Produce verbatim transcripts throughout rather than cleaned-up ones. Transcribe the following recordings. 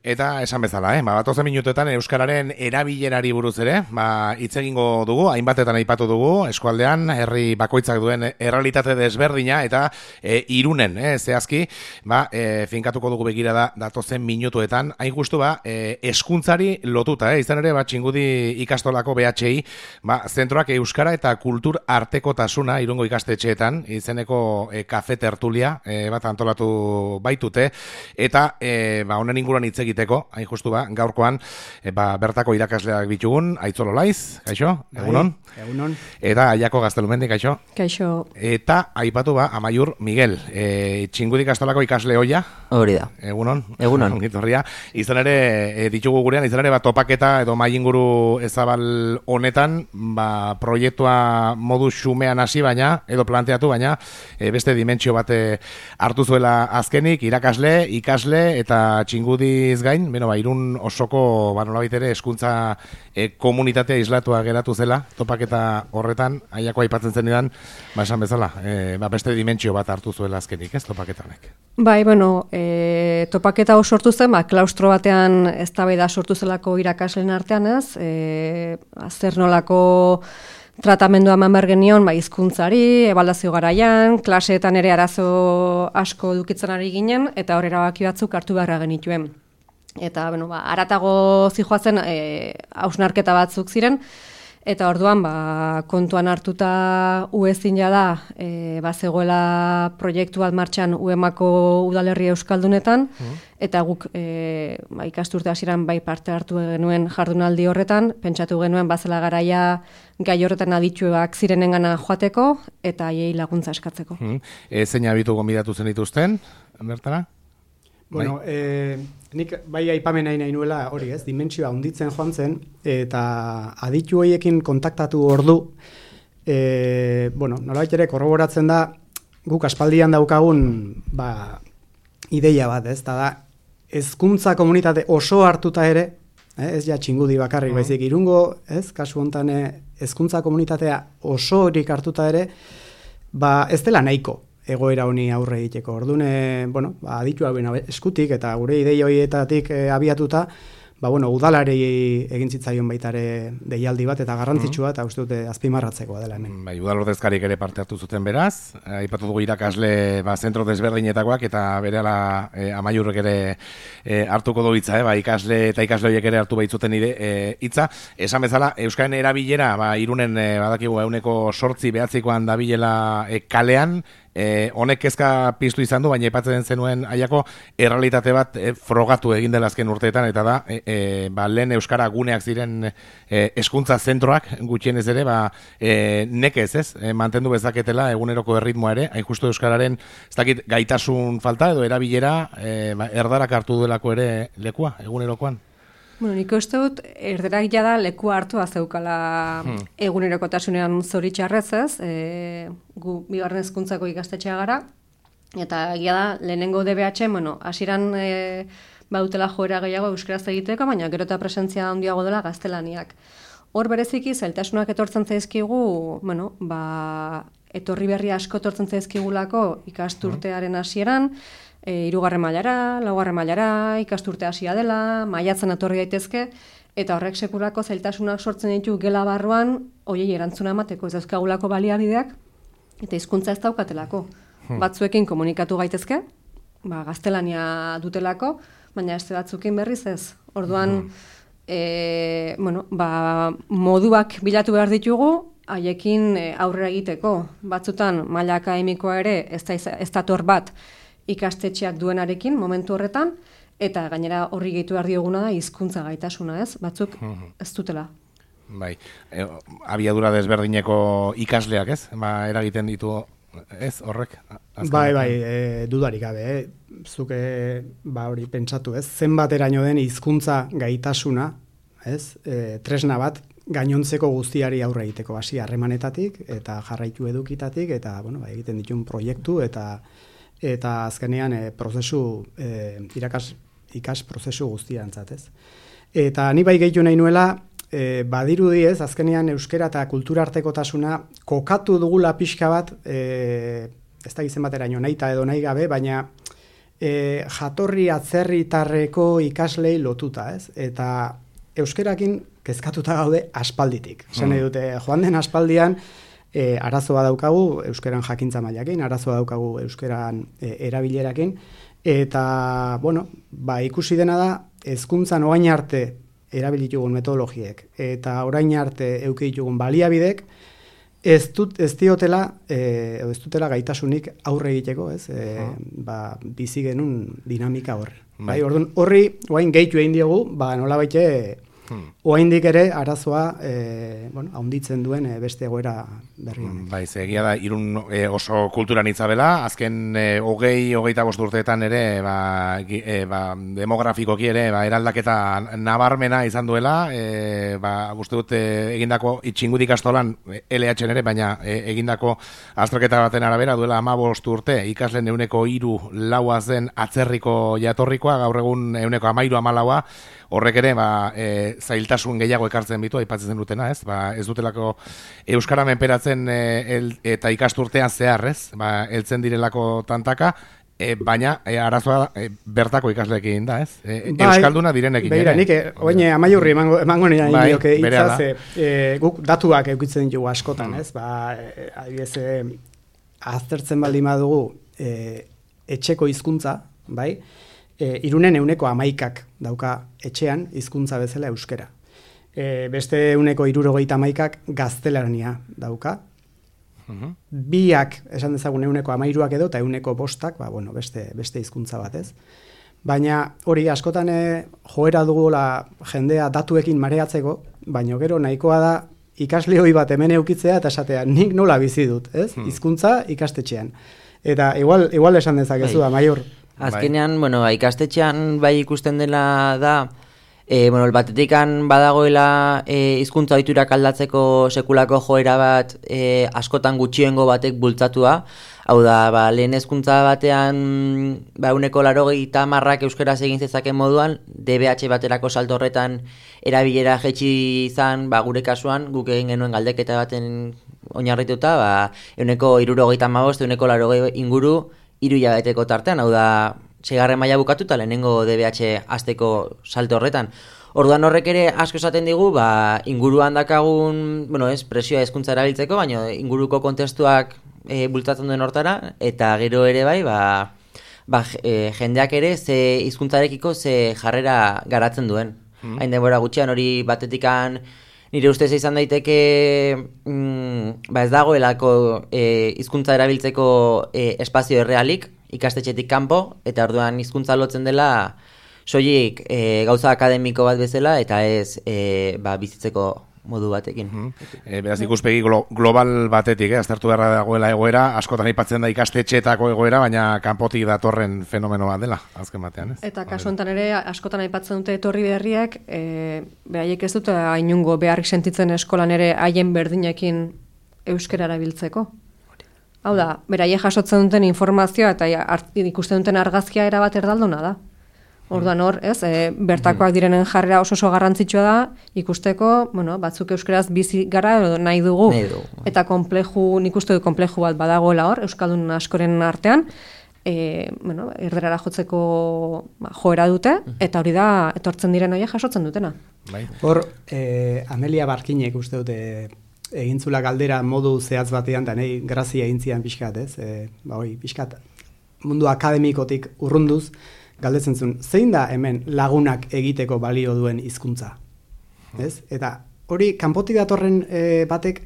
Eta esan bezala, eh? ba, batozen minutuetan Euskararen erabilerari buruz ere, ba, hitz egingo dugu, hainbatetan aipatu dugu, eskualdean, herri bakoitzak duen errealitate desberdina, eta e, irunen, eh, zehazki, ba, e, finkatuko dugu begira da datozen minutuetan, hain justu ba, e, eskuntzari lotuta, eh? izan ere, ba, Txingudi ikastolako B H I, ba, zentroak Euskara eta kultur artekotasuna irungo ikastetxeetan, izeneko e, kafe tertulia, e, bat antolatu baitute, eta e, ba, honen inguruan hitz egiteko, hain justu ba, gaurkoan, e, ba, bertako irakasleak bitugun, Aitzol Olaiz, kaixo, egunon? Egunon. Eta Aiako Gaztelumendi, kaixo? Kaixo. Eta aipatu ba, Amaiur Miguel, e, Txingudi ikastolako ikasle hoia? Hori da. Egunon? Egunon. Ongitorria. Izan ere, e, ditugu gurean, izan ere, ba, topaketa edo mai inguru ezabal honetan, ba, proiektua modu xumean hasi baina, edo planteatu baina, e, beste dimentsio bate hartu zuela azkenik, irakasle, ikasle eta Txingudiz gain, beno, ba, Irun osoko, ba, nolabait ere, hezkuntza e, komunitatea islatua geratu zela, topaketa horretan, Aiako aipatzen zenidan, ba, esan bezala, e, ba, beste dimentsio bat hartu zuela azkenik, ez, topaketa honek. Bai, bueno, e, topaketa hau sortu zen, ba, klaustro batean eztabaida sortu zelako irakasleen artean, ez, e, zer nolako tratamendua eman behar genion, ba, hizkuntzari, ebaluazio garaian, klaseetan ere arazo asko dukitzen ari ginen, eta hor erabaki batzuk hartu beharra genituen. Eta, bueno, ba, aratago zijoazen e, hausnarketa batzuk ziren, eta orduan ba, kontuan hartuta U E ezin da e, ba, zegoela proiektu bat martxan U E Mako udalerri euskaldunetan, mm. eta guk e, ba, ikasturte hasieran bai parte hartu genuen jardunaldi horretan, pentsatu genuen bazela garaia gai horretan adituak zirenengana joateko eta haiei laguntza eskatzeko. Mm. E, zein abitu gonbidatu zen dituzten, bertara? Bueno, eh, nik bai aipamen nahi nahi nuela hori ez, dimentsioa hunditzen joan zen, eta aditu horiekin kontaktatu ordu, e, bueno, nolabait ere korroboratzen da, guk aspaldian daukagun ba, ideia bat ez, eta da, hezkuntza komunitate oso hartuta ere, eh, ez ja Txingudi bakarrik, baizik Irungo, ez, kasu hontan hezkuntza komunitatea oso horik hartuta ere, ba, ez dela nahiko egoera honi aurre egiteko. Orduan, bueno, ba, aditu hauen eskutik eta gure ideia horietatik e, abiatuta, ba, bueno, udalari egin zitzaion baitare deialdi bat eta garrantzitsua eta uste dute azpimarratzekoa dela hemen. Bai, udal ordezkarik ere parte hartu zuten beraz, aipatu dugu irakasle ba, zentro desberdinetakoak eta berehala e, Amaiurrek ere e, hartuko du hitza, eh? ba, ikasle eta ikasle horiek ere hartu baitzuten ide e, hitza. Esan bezala, Euskaren erabilera, ba, Irunen e, badakigu ehuneko sortzi behatzikoan dabilela e, kalean, E, honek kezka piztu izan du, baina aipatzen zenuen Aiako errealitate bat e, frogatu egin dela azken urteetan, eta da, e, e, ba, lehen Euskara guneak ziren e, hezkuntza zentroak gutxienez ere, ba, e, nekez, ez, e, mantendu bezaketela eguneroko erritmoa ere, hain justu Euskararen, ez dakit, gaitasun falta edo erabilera, e, ba, erdarak hartu duelako ere lekua, egunerokoan. Bueno, nik uste dut, erderak jada lekua hartu azeukala hmm. egunerokotasunean zoritxarrez ez, e, gu bigarren hezkuntzako ikastetxea gara, eta egia da, lehenengo D B H, bueno, hasieran e, bautela joera gehiago euskaraz egiteko, baina gero eta presentzia handiago dela gaztelaniak. Hor bereziki, zailtasunak etortzen zaizkigu, bueno, ba, etorri berri asko etortzen zaizkigulako ikasturtearen hasieran, E, irugarren mailara, laugarren mailara, ikasturte hasia dela, maiatzen etorri daitezke, eta horrek sekulako zailtasunak sortzen ditu gela barruan, hoiei erantzuna emateko ez dauzkagulako baliabideak, eta hizkuntza ez daukatelako. Hmm. Batzuekin komunikatu gaitezke, ba, gaztelania dutelako, baina este batzuekin berriz ez. Orduan, hmm. e, bueno, ba, moduak bilatu behar ditugu, haiekin aurrera egiteko. Batzutan, maila akademikoa ere, ez da, ez dator bat, ikastetxeak duenarekin momentu horretan, eta gainera horri gehitu behar dioguna da hizkuntza gaitasuna, ez? Batzuk ez dutela. Bai, e, abiadura desberdineko ikasleak, ez? Ba, eragiten ditu, ez, horrek? Azken bai, bai, e, dudarik gabe, eh? Zuke, ba, hori pentsatu, ez? Zenbateraino den hizkuntza gaitasuna, ez? E, tresna bat, gainontzeko guztiari aurre egiteko, hasi harremanetatik, eta jarraitu edukitatik, eta, bueno, ba, egiten ditun proiektu, eta eta azkenean e, prozesu, e, irakas, ikas prozesu guztiantzat, ez. Eta ni bai gehitu nahi nuela, e, badirudi ez, azkenean euskera eta kultura artekotasuna kokatu dugula pixka bat, e, ez da gizen bateraino nahi eta edo nahi gabe, baina e, jatorri atzerritarreko ikaslei lotuta, ez? Eta euskerakin kezkatuta gaude aspalditik. Esan nahi dute, joan den aspaldian, e, arazoa daukagu euskeran jakintza mailakin, arazoa daukagu euskeran e, erabilerakin, eta, bueno, ba, ikusi dena da, hezkuntzan orain arte erabilitugun metodologiek, eta orain arte eukitugun baliabidek, Ez, dut, ez diotela, e, ez dutela gaitasunik aurre egiteko, ez? E, ba, bizi genuen dinamika horre. Bai, orduan, horri, oain gehitu egin diogu, ba, nola baite, hmm. oaindik ere arazoa, e, bueno, haunditzen duen e, beste egoera berri honek. Bai, egia da, irun e, oso kulturan itzabela, azken e, hogei, hogeita bost urteetan ere, ba, e, ba, demografikoki ere, ba, eraldaketa nabarmena izan duela, e, ba, uste dut e, egindako itxingudik astolan, L H ere, baina e, egindako azterketa baten arabera, duela hamabost urte, ikasleen euneko hiru laua zen atzerriko jatorrikoa, gaur egun euneko hamairu hamalaua, horrek ere, ba, e, zailtasun gehiago ekartzen bitu, aipatzen dutena, ez? Ba, ez dutelako euskara menperatzen e, el, eta ikasturtean zehar, ez? Ba, heltzen direlako tantaka, e, baina e, arazoa e, bertako ikasleekin da, ez? E, bai, euskalduna direnekin. Beira, nik, oine, amaiurri emango, emango nire bai, indioke hitzaz, e, guk datuak eukitzen dugu askotan, ez? Ba, e, adibidez, e, aztertzen baldin badugu e, etxeko hizkuntza, bai? E, irunen euneko amaikak dauka etxean hizkuntza bezala euskera. E, beste euneko irurogeita amaikak gaztelania dauka. Uh-huh. Biak, esan dezagun euneko amairuak edo, eta euneko bostak, ba, bueno, beste, beste hizkuntza batez. Baina hori askotan e, joera dugula jendea datuekin mareatzeko, baina gero nahikoa da ikasle hori bat hemen eukitzea eta esatea, nik nola bizi dut, ez? Hmm. Hizkuntza ikastetxean. Eta igual, igual esan dezakezu da, maior. Azkenean, bai. bueno, ikastetxean bai ikusten dela da, e, bueno, batetikan badagoela e, hizkuntza ohiturak aldatzeko sekulako joera bat e, askotan gutxiengo batek bultzatua. Hau da, ba, lehen hezkuntza batean ba, uneko laurogeita hamarrak euskaraz egin zezaken moduan, D B H baterako salto horretan erabilera jetxi izan, ba, gure kasuan, guk egin genuen galdeketa baten oinarrituta, ba, uneko hirurogeita hamabost, uneko laurogei inguru, hiru hilabeteko tartean, hau da, seigarren maila bukatu eta lehenengo D B H hasteko salto horretan. Orduan horrek ere asko esaten digu, ba, inguruan dakagun, bueno, ez, presioa hezkuntza erabiltzeko, baina inguruko kontestuak e, bultzatzen duen hortara, eta gero ere bai, ba, ba, e, jendeak ere ze hizkuntzarekiko ze jarrera garatzen duen. Mm. Hain denbora gutxian hori batetikan nire ustez izan daiteke mm, ba ez dagoelako e, hizkuntza erabiltzeko e, espazio errealik ikastetxetik kanpo, eta orduan hizkuntza lotzen dela soilik e, gauza akademiko bat bezala eta ez e, ba, bizitzeko modu batekin. Mm-hmm. E, beraz ikuspegi glo, global batetik, eh? Aztertu beharra dagoela egoera, askotan aipatzen da ikastetxeetako egoera, baina kanpotik datorren fenomeno bat dela, azken batean, ez? Eta kasu honetan ere, askotan aipatzen dute etorri berriak, e, beraiek ez dute hainungo beharrik sentitzen eskolan ere haien berdinekin euskara erabiltzeko. Hau da, beraiek jasotzen duten informazioa eta ikusten duten argazkia erabat erdaldona da. Orduan hor, ez, e, bertakoak direnen jarrera oso oso garrantzitsua da, ikusteko, bueno, batzuk euskaraz bizi gara edo nahi dugu, nahi dugu. Eta konpleju, nik uste du konpleju bat badagoela hor, euskaldun askoren artean, e, bueno, erderara jotzeko ba, joera dute, eta hori da, etortzen diren horiek jasotzen dutena. Hor, e, Amelia Barkinek uste dute egintzula galdera modu zehatz batean, da nahi grazia egintzian pixkat, ez, e, ba hoi, pixkat mundu akademikotik urrunduz, galdetzen zuen, zein da hemen lagunak egiteko balio duen hizkuntza? Ez? Eta hori kanpotik datorren e, batek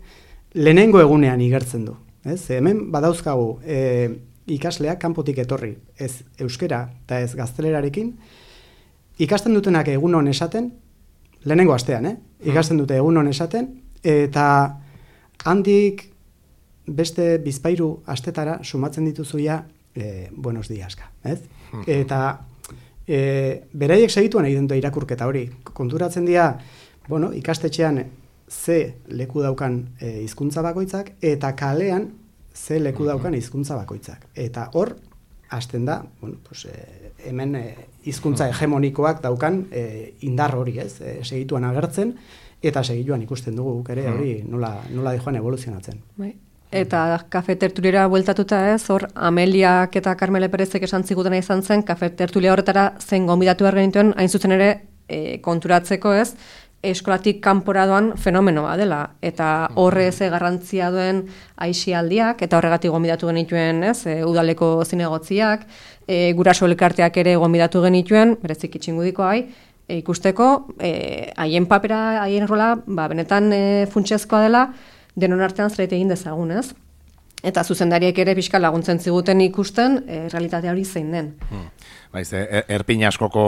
lehenengo egunean igertzen du. Ez? Hemen badauzkagu e, ikasleak kanpotik etorri, ez euskera eta ez gaztelerarekin, ikasten dutenak egunon esaten, lehenengo astean, eh? Ikasten dute egunon esaten, eta handik beste bizpairu astetara sumatzen dituzuia e, buenos diaska, ez? Eta e, beraiek segituan egiten dute irakurketa hori. Konturatzen dira, bueno, ikastetxean ze leku daukan e, hizkuntza bakoitzak, eta kalean ze leku daukan hizkuntza bakoitzak. Eta hor, hasten da, bueno, pues, e, hemen e, hizkuntza hegemonikoak daukan e, indar hori, ez? E, segituan agertzen, eta segituan ikusten dugu ere hori nola, nola dijoan evoluzionatzen. Bai. Eta kafe tertuliera bueltatuta ez, hor Ameliak eta Carmele Perezek esan zigutena izan zen, kafe tertulia horretara zen gonbidatu behar genituen, hain zuzen ere e, konturatzeko ez, eskolatik kanpora doan fenomenoa dela, eta horre ze garrantzia duen aisialdiak, eta horregatik gonbidatu genituen ez, e, udaleko zinegotziak, e, guraso elkarteak ere gonbidatu genituen, berezik itxingudiko hai, e, ikusteko, haien e, papera, haien rola, ba, benetan e, funtsezkoa dela, denon artean zerbait egin dezagun, ez? Eta zuzendariek ere pixka laguntzen ziguten ikusten, e, realitatea hori zein den. Hmm. Baiz, er, erpin askoko,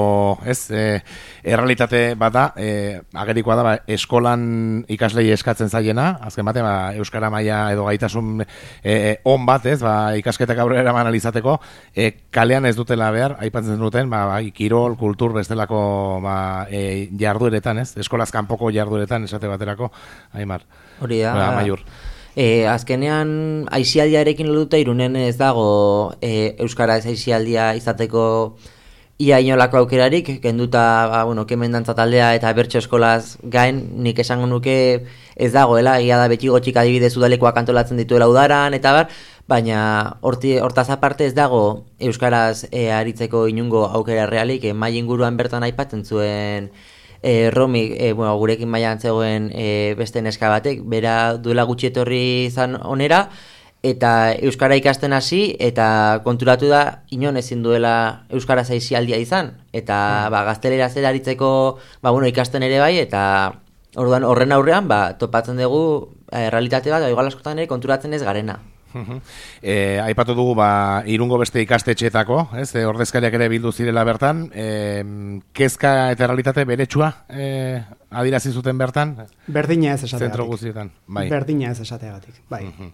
ez, e, errealitate bada, e, agerikoa da, ba, eskolan ikaslei eskatzen zaiena, azken bate, ba, euskara maila edo gaitasun e, on bat, ez, ba, ikasketak aurrera eraman alizateko, e, kalean ez dutela behar, aipatzen duten, ba, ba, kirol, kultur, bestelako ba, e, jardueretan, ez, eskolaz kanpoko jardueretan, esate baterako, Aimar. Hori da. Ba, Amaiur. E, azkenean, aisialdiarekin lotuta Irunen ez dago e, euskaraz aisialdia izateko ia inolako aukerarik, kenduta, ba, bueno, kemen dantza taldea eta bertso eskolaz gain, nik esango nuke ez dagoela, egia da beti gotxik adibidez udalekoak antolatzen dituela udaran, eta bar, baina horti, hortaz aparte ez dago euskaraz e, aritzeko inungo aukera realik, e, mai inguruan bertan aipatzen zuen E, Romi, e, bueno, gurekin mailan zegoen e, beste neska batek, bera duela gutxi etorri izan onera, eta euskara ikasten hasi, eta konturatu da, inon ezin duela euskara aisialdia izan, eta mm. ba, gaztelera zer aritzeko ba, bueno, ikasten ere bai, eta orduan horren aurrean ba, topatzen dugu e, realitate bat, igual askotan ere konturatzen ez garena. E, aipatu dugu ba, Irungo beste ikastetxeetako, ez, e, ordezkariak ere bildu zirela bertan, e, kezka eta realitate beretsua e, adirazi zuten bertan? Berdina ez esateagatik. Zentro guztietan, bai. Berdina ez esateagatik, bai. Uh-huh.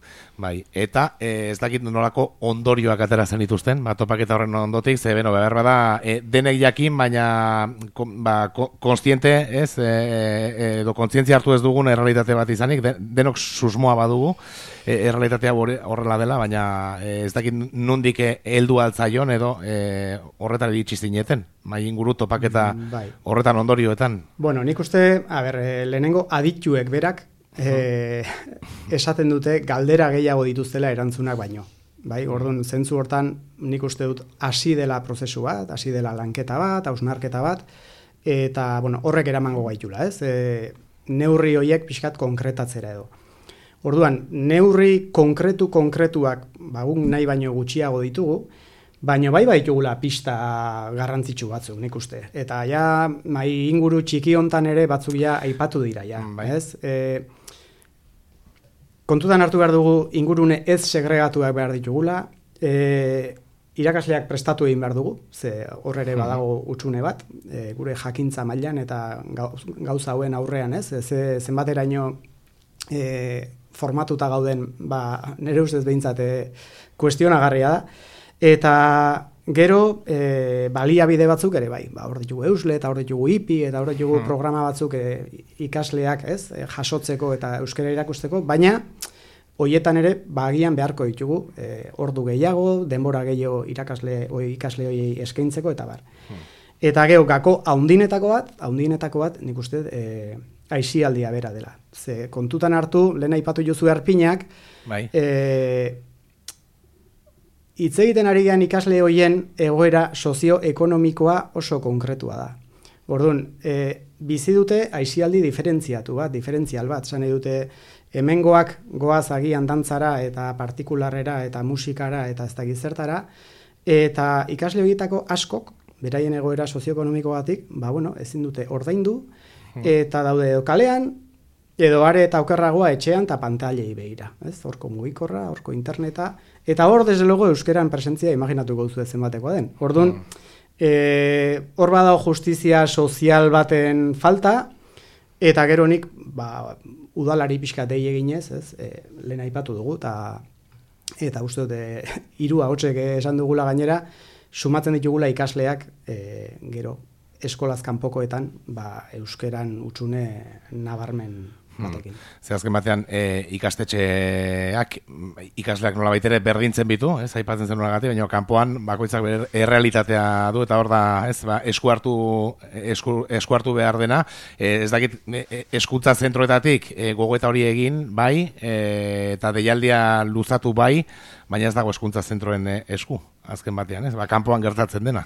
Bai, eta e, ez dakit nolako ondorioak atera zen dituzten, ba, topaketa horren ondotik, ze beno, behar bada, e, denek jakin, baina kon, ba, konstiente, ez, e, e, edo kontzientzia hartu ez dugun errealitate bat izanik, de, denok susmoa badugu, e, errealitatea horrela dela, baina e, ez dakit nondik heldu altzaion edo e, horretara iritsi zineten, mai inguru topaketa bai. Horretan ondorioetan. Bueno, nik uste, a ber, lehenengo adituek berak e, esaten dute galdera gehiago dituztela erantzunak baino. Bai, orduan, zentzu hortan nik uste dut hasi dela prozesu bat, hasi dela lanketa bat, hausnarketa bat, eta bueno, horrek eramango gaitula, ez? E, neurri horiek pixkat konkretatzera edo. Orduan, neurri konkretu konkretuak bagun nahi baino gutxiago ditugu, baina bai baitugula pista garrantzitsu batzuk, nik uste. Eta ja, mai inguru txiki hontan ere batzuk ja aipatu dira, ja. Bai. Ez? E, kontutan hartu behar dugu ingurune ez segregatuak behar ditugula, e, irakasleak prestatu egin behar dugu, ze hor ere badago hutsune bat, e, gure jakintza mailan eta gauza hauen aurrean, ez? Ze, zenbateraino e, formatuta gauden, ba, nire ustez behintzat e, kuestionagarria da. Eta gero e, baliabide batzuk ere bai, ba, hor ditugu Eusle eta hor ditugu I P I eta hor ditugu hmm. programa batzuk e, ikasleak ez, e, jasotzeko eta euskara irakusteko, baina hoietan ere bagian beharko ditugu e, ordu gehiago, denbora gehiago irakasle oi, ikasle hoiei eskaintzeko eta bar. Hmm. Eta gero gako haundinetako bat, haundinetako bat nik uste e, aisialdia bera dela. Ze kontutan hartu, lehen aipatu jozu erpinak, bai. e, hitz egiten ari gean ikasle hoien egoera sozioekonomikoa oso konkretua da. Orduan, e, bizi dute aisialdi diferentziatu bat, diferentzial bat, esan dute hemengoak goaz agian dantzara eta partikularrera eta musikara eta ez da gizertara, eta ikasle horietako askok, beraien egoera sozioekonomikoagatik, ba bueno, ezin dute ordaindu, eta daude edo kalean, edo are eta okerragoa etxean eta pantailei begira. Ez? Horko mugikorra, horko interneta, eta hor, desde luego, euskeran presentzia imaginatuko duzu zenbatekoa den. Orduan, mm. e, hor badago justizia sozial baten falta, eta gero nik, ba, udalari pixka dei eginez, ez? E, lehen aipatu dugu, eta, eta uste dute, hiru ahotsek esan dugula gainera, sumatzen ditugula ikasleak, e, gero, eskolaz kanpokoetan ba, euskeran hutsune nabarmen batekin. Ze azken batean e, ikastetxeak, ikasleak nola baitere berdintzen bitu, ez, aipatzen zen nolagatik, baina kanpoan bakoitzak bere errealitatea du, eta hor da, ez, ba, esku hartu, esku, esku hartu behar dena, e, ez dakit, e, eskuntza zentroetatik e, gogoeta hori egin, bai, e, eta deialdia luzatu bai, baina ez dago eskuntza zentroen e, esku, azken batean, ez, ba, kanpoan gertatzen dena.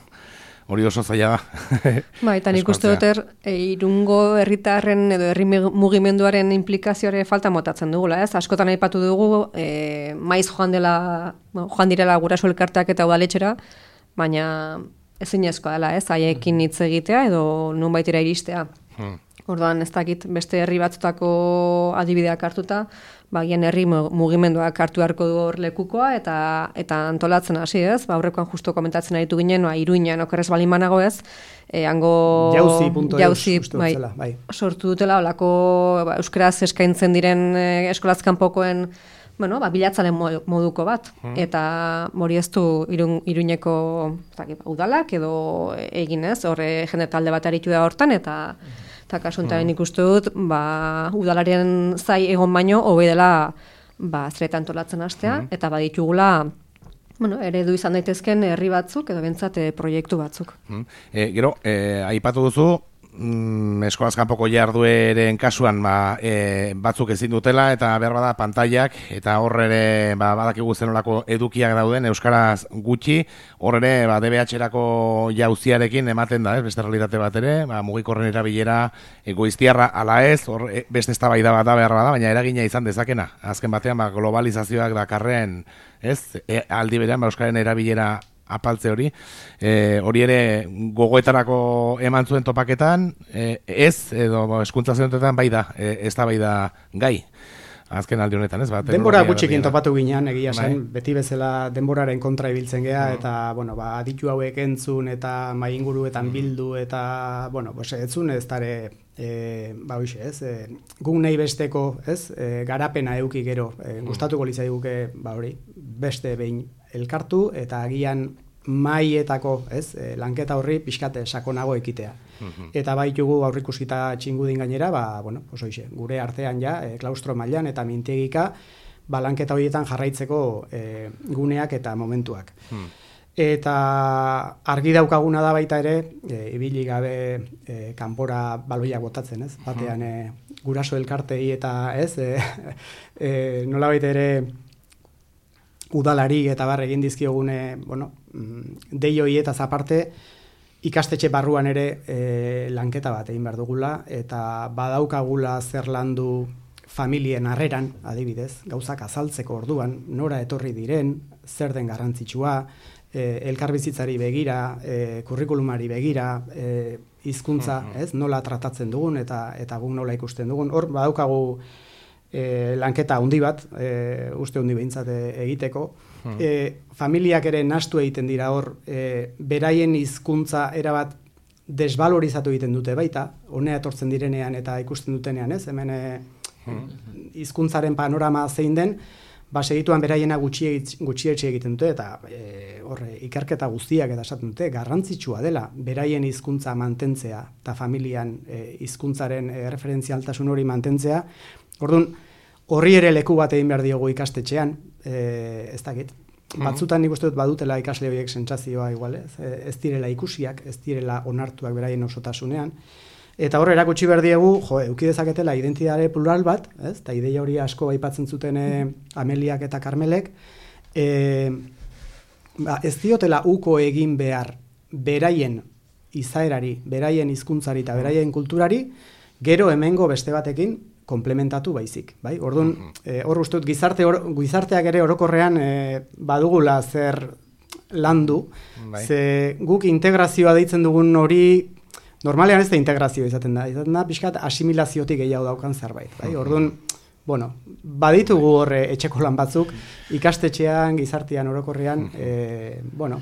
Hori oso zaila da. Ba, eta nik uste dut er, e, irungo herritarren edo herri mugimenduaren implikazioare falta motatzen dugula, ez? Askotan aipatu dugu, e, maiz joan dela, joan direla guraso elkarteak eta udaletxera, baina ezinezkoa dela, ez? Haiekin hitz egitea edo nonbaitera iristea. Hmm. Orduan ez dakit beste herri batzutako adibideak hartuta, bagian herri mugimenduak hartu beharko du hor lekukoa eta eta antolatzen hasi, ez? Ba aurrekoan justo komentatzen aritu ginen, ba Iruinan okerrez balin banago, ez? E, hango jauzi puntu jauzi bai, bai. Sortu dutela holako ba, euskaraz eskaintzen diren e, eskolaz kanpokoen bueno, ba, bilatzalen moduko bat, hmm. eta hori ez du irun, Iruñeko zaki, udalak edo egin, ez? Horre jende talde bat aritu da hortan, eta eta kasuntaben hmm. ikustu dut, ba, udalaren zai egon baino, hobe dela ba, zereta antolatzen hastea, hmm. eta baditugula bueno, eredu izan daitezken herri batzuk, edo bentsat proiektu batzuk. Hmm. E, gero, e, aipatu duzu, Mm, eskolaz kanpoko jardueren kasuan ba, e, batzuk ezin dutela eta behar bada pantailak eta hor ere ba, badakigu zenolako edukiak dauden euskaraz gutxi, hor ere ba, D B H-erako jauziarekin ematen da, ez, beste realitate bat ere, ba, mugikorren erabilera egoiztiarra ala ez, hor e, beste eztabaida bat da behar bada, baina eragina izan dezakena. Azken batean ba, globalizazioak dakarren, ez, e, aldi berean ba, euskaren erabilera apaltze hori, e, hori ere gogoetarako eman zuen topaketan, e, ez, edo eskuntza zentroetan bai da, e, ez da bai da gai, azken aldi honetan, ez? Ba, denbora gutxikin topatu ginean, egia zen, beti bezala denboraren kontra ibiltzen gea, mm. eta, bueno, ba, aditu hauek entzun, eta mai inguruetan bildu, eta, bueno, pues, etzun ez dare, e, ba, hoxe, ez, e, guk nahi besteko, ez, e, garapena euki gero, e, gustatuko litzaiguke, ba, hori, beste behin elkartu eta agian maietako, ez, e, lanketa horri pixkate sakonago ekitea. Mm-hmm. Eta baitugu aurrikusita txingudin gainera, ba, bueno, pues hoxe, gure artean ja, e, klaustro mailan eta mintegika, ba, lanketa horietan jarraitzeko e, guneak eta momentuak. Mm. Eta argi daukaguna da baita ere, e, ibili gabe e, kanpora baloiak botatzen, ez? Batean e, guraso elkartei eta, ez, e, e, nola baita ere, udalari eta bar egin dizkiogune, bueno, dei hoietaz aparte ikastetxe barruan ere e, lanketa bat egin behar dugula eta badaukagula zer landu familien harreran, adibidez, gauzak azaltzeko orduan, nora etorri diren, zer den garrantzitsua, e, elkarbizitzari begira, e, kurrikulumari begira, e, hizkuntza, uh-huh. ez, nola tratatzen dugun eta eta guk nola ikusten dugun. Hor badaukagu E, lanketa handi bat, e, uste handi behintzat egiteko. Hmm. E, familiak ere nahastu egiten dira hor, e, beraien hizkuntza erabat desbalorizatu egiten dute baita, honea etortzen direnean eta ikusten dutenean, ez? Hemen hizkuntzaren hmm. panorama zein den, ba segituan beraiena gutxietxe egiten dute, eta e, horre, ikerketa guztiak eta esaten dute, garrantzitsua dela, beraien hizkuntza mantentzea, eta familian hizkuntzaren e, referentzialtasun hori mantentzea. Orduan, horri ere leku bat egin behar diogu ikastetxean, e, ez dakit. Batzutan nik uste dut badutela ikasle horiek sentsazioa igual, ez, ez direla ikusiak, ez direla onartuak beraien osotasunean. Eta hor erakutsi behar diegu, jo, euki dezaketela identitate plural bat, ez, eta ideia hori asko aipatzen zuten Ameliak eta Karmelek, e, ba, ez diotela uko egin behar beraien izaerari, beraien hizkuntzari eta beraien kulturari, gero hemengo beste batekin, komplementatu baizik, bai? Orduan, eh, hor uste dut gizarte or, gizarteak ere orokorrean eh, badugula zer landu, bai. Ze guk integrazioa deitzen dugun hori normalean ez da integrazio izaten da, izaten da pixkat asimilaziotik gehiago daukan zerbait, bai? Orduan, bueno, baditugu horre etxeko lan batzuk ikastetxean, gizartean orokorrean, eh, bueno,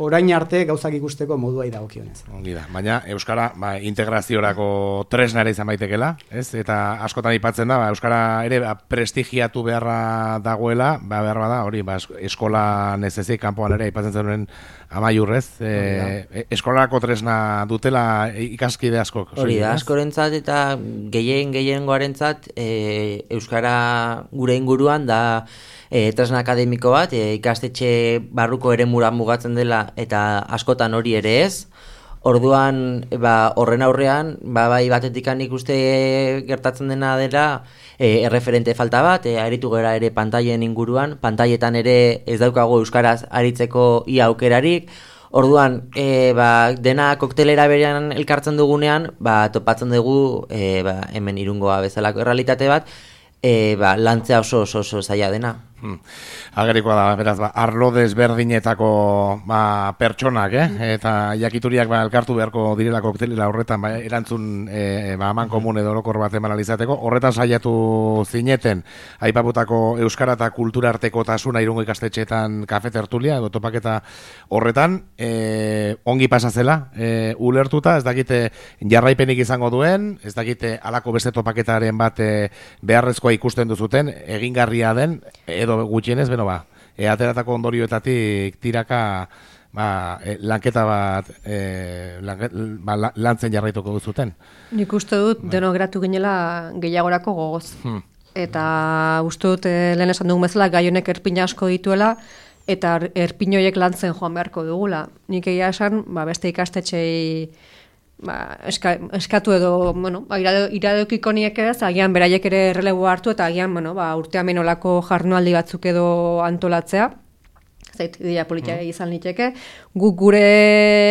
orain arte gauzak ikusteko moduai dagokionez. Ongi da, baina Euskara ba, integraziorako tresnara izan baitekela, ez? Eta askotan aipatzen da, ba, Euskara ere ba, prestigiatu beharra dagoela, ba, behar bada, hori, ba, eskola nezezik kanpoan ere aipatzen zenuen Amaiurrez, e, eskolarako tresna dutela ikaskide askok. Hori da, askorentzat eta gehien gehiengoarentzat e, Euskara gure inguruan da e, tresna akademiko bat, e, ikastetxe barruko eremura mugatzen dela eta askotan hori ere ez. Orduan, ba, horren aurrean, ba, bai batetik ikuste gertatzen dena dela e, erreferente falta bat, e, aritu gera ere pantailen inguruan, pantailetan ere ez daukago euskaraz aritzeko ia aukerarik. Orduan, e, ba, dena koktelera berean elkartzen dugunean, ba, topatzen dugu e, ba, hemen Irungoa bezalako errealitate bat, e, ba, lantzea oso oso oso zaila dena. Hmm. Agerikoa da, beraz, ba, arlo desberdinetako ba, pertsonak, eh? Eta jakituriak ba, elkartu beharko direla koktelera horretan ba, erantzun e, ba, aman komun edo orokor bat eman alizateko. Horretan saiatu zineten, aipaputako euskara eta kultura arteko tasuna Irungo ikastetxeetan kafe tertulia, edo topaketa horretan, e, ongi pasazela, e, ulertuta, ez dakite jarraipenik izango duen, ez dakite alako beste topaketaren bat e, beharrezkoa ikusten duzuten, egingarria den, edo gutxienez, beno ba, e, ateratako ondorioetatik tiraka ba, e, lanketa bat e, lanket, ba, lantzen jarraituko duzuten. Nik uste dut ba. Denok gratu ginela gehiagorako gogoz. Hmm. Eta uste dut, e, lehen esan dugun bezala, gai honek erpin asko dituela, eta erpin horiek lantzen joan beharko dugula. Nik egia esan, ba, beste ikastetxei Ba, eska, eskatu edo, bueno, ba, iradeokiko niek ez, agian beraiek ere errelebo hartu, eta agian, bueno, ba, urtean menolako jarnualdi batzuk edo antolatzea, zait, ideia politia mm. izan liteke. Guk gure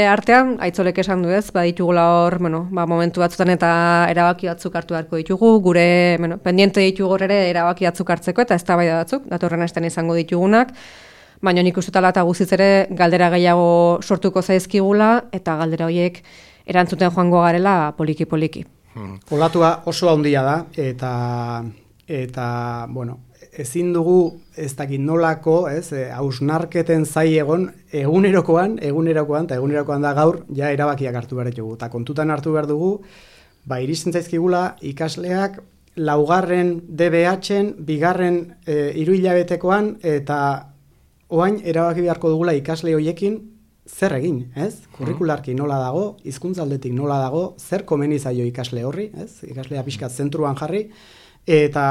artean, aitzolek esan du ez, ba, ditugula hor, bueno, ba, momentu batzutan eta erabaki batzuk hartu beharko ditugu, gure, bueno, pendiente ditugu ere erabaki batzuk hartzeko, eta eztabaida batzuk, datorren astean izango ditugunak, baina nik uste tala eta guztiz ere galdera gehiago sortuko zaizkigula, eta galdera horiek erantzuten joango garela poliki-poliki. Hmm. Olatua oso handia da, eta, eta bueno, ezin dugu ez dakit nolako, ez, hausnarketen zai egon, egunerokoan, egunerokoan, eta egunerokoan da gaur, ja erabakiak hartu behar dugu. Eta kontutan hartu behar dugu, ba, iristen zaizkigula ikasleak, laugarren D B H-en, bigarren e, hiru hilabetekoan, eta oain erabaki beharko dugula ikasle hoiekin, zer egin, ez? Kurrikularki nola dago, hizkuntzaldetik nola dago, zer komeni zaio ikasle horri, ez? Ikaslea pixkat zentruan jarri, eta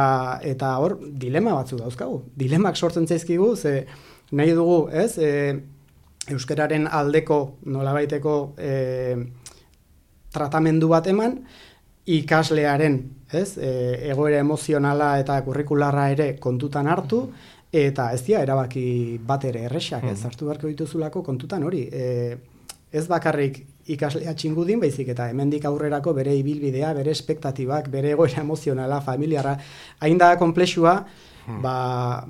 eta hor dilema batzu dauzkagu. Dilemak sortzen zaizkigu, ze nahi dugu, ez? E, euskararen aldeko nolabaiteko e, tratamendu bat eman, ikaslearen, ez? E, egoera emozionala eta kurrikularra ere kontutan hartu, eta ez dira erabaki bat ere erresak, ez hartu beharko dituzulako kontutan hori. E, ez bakarrik ikaslea txingudin, baizik eta hemendik aurrerako bere ibilbidea, bere espektatibak, bere egoera emozionala, familiarra, hain da komplexua, ba,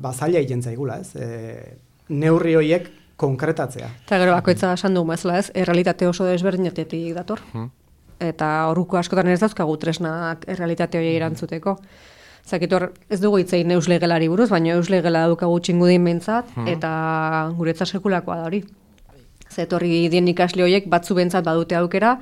ba zaila egiten zaigula, ez? E, neurri horiek konkretatzea. Eta gero bakoitza esan dugu bezala, ez? Errealitate oso desberdinetetik dator. Eta horuko askotan ez dauzkagu tresnak errealitate horiek erantzuteko. Zakitor, ez dugu hitzein euslegelari buruz, baina euslegela daukagu txingudin behintzat, hmm. eta guretzat sekulakoa da hori. Zetorri dien ikasle horiek batzu behintzat badute aukera,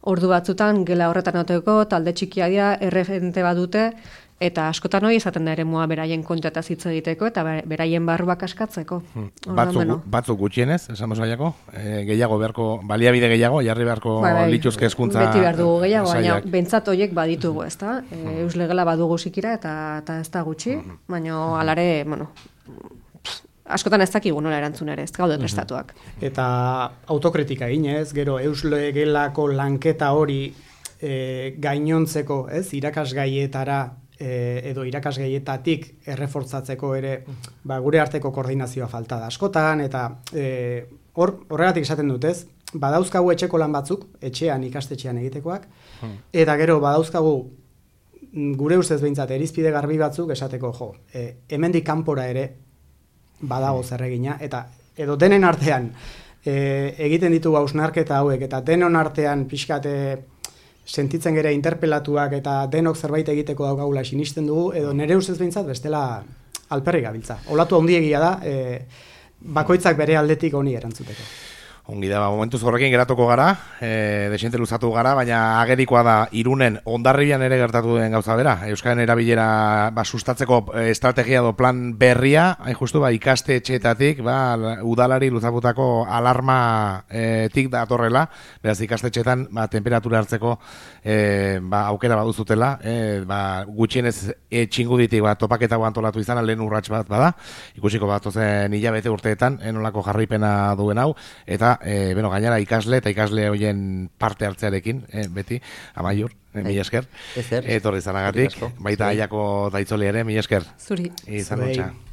ordu batzutan gela horretan oteko, talde txikia dira, erreferente badute, eta askotan hori izaten da ere mua beraien kontataz hitz egiteko, eta beraien barruak askatzeko. Hmm. Batzuk, batzuk gutxienez, esan bozaiako, e, gehiago beharko, baliabide gehiago, jarri beharko bai, bai, lituzke hezkuntza. Beti behar dugu gehiago, baina bentsat horiek baditugu, ez da? E, euslegela badugu zikira, eta, eta ez da gutxi, baina alare, bueno, askotan ez dakigu nola erantzun ere, ez gaude prestatuak. Eta autokritika eginez, gero euslegelako lanketa hori e, gainontzeko, ez, irakasgaietara, edo irakasgaietatik errefortzatzeko ere ba, gure arteko koordinazioa falta da askotan, eta e, hor, horregatik esaten dut, ez? Badauzkagu etxeko lan batzuk, etxean ikastetxean egitekoak, hmm. eta gero badauzkagu gure ustez behintzat erizpide garbi batzuk esateko, jo, e, hemendik kanpora ere badago zer egina, eta edo denen artean e, egiten ditugu hausnarketa hauek, eta denon artean pixkate sentitzen gera interpelatuak eta denok zerbait egiteko daukagula sinisten dugu, edo nere ustez behintzat bestela alperri gabiltza. Olatu handiegia da, e, bakoitzak bere aldetik honi erantzuteko. Ongi da, ba, momentuz horrekin geratuko gara, e, desente luzatu gara, baina agerikoa da Irunen Hondarribian ere gertatu den gauza bera. Euskaren erabilera ba, sustatzeko estrategia do plan berria, hain justu ba, ikaste etxeetatik, ba, udalari luzaputako alarma e, tik datorrela, beraz ikastetxeetan ba, temperatura hartzeko e, ba, aukera baduzutela, e, ba, gutxienez e, txinguditik ba, topaketa antolatu izan, lehen urrats bat bada, ikusiko bat ozen hilabete urteetan, enolako jarraipena duen hau, eta E, bueno, gainera ikasle eta ikasle hoien parte hartzearekin, e, beti, Amaiur, e, mila esker. Ezer. Etorri zanagatik, baita aiako daitzoli ere, mila esker. Zuri. Izan Zuei. notxa.